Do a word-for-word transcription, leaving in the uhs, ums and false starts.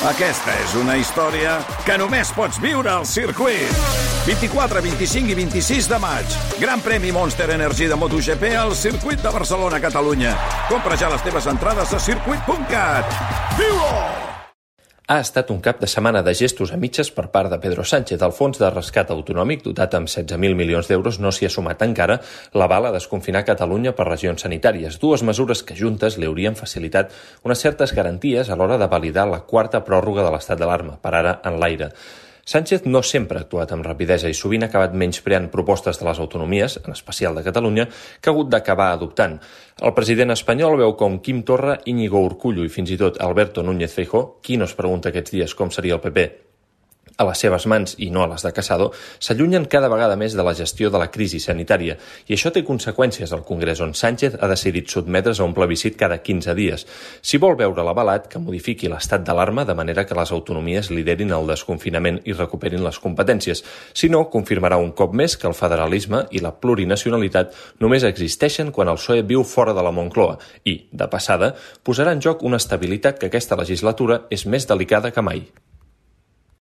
Aquesta és una història que només pots viure al circuit. vint-i-quatre, vint-i-cinc i vint-i-sis de maig. Gran premi Monster Energy de MotoGP al circuit de Barcelona, Catalunya. Compra ja les teves entrades a circuit punt cat. Viu-ho! Ha estat un cap de setmana de gestos a mitges per part de Pedro Sánchez. El fons de rescat autonòmic, dotat amb setze mil milions d'euros, no s'hi ha sumat encara l'aval a desconfinar Catalunya per regions sanitàries. Dues mesures que juntes li haurien facilitat unes certes garanties a l'hora de validar la quarta pròrroga de l'estat d'alarma, per ara en l'aire. Sánchez no sempre ha actuat amb rapidesa i sovint ha acabat menyspreant propostes de les autonomies, en especial de Catalunya, que ha hagut d'acabar adoptant. El president espanyol veu com Quim Torra, Íñigo Urkullu i fins i tot Alberto Núñez Feijóo, qui no es pregunta aquests dies com seria el P P, a les seves mans i no a les de Casado, s'allunyen cada vegada més de la gestió de la crisi sanitària. I això té conseqüències al Congrés, on Sánchez ha decidit sotmetre's a un plebiscit cada quinze dies. Si vol veure l'avalat, que modifiqui l'estat d'alarma de manera que les autonomies liderin el desconfinament i recuperin les competències. Si no, confirmarà un cop més que el federalisme i la plurinacionalitat només existeixen quan el P S O E viu fora de la Moncloa i, de passada, posarà en joc una estabilitat que aquesta legislatura és més delicada que mai.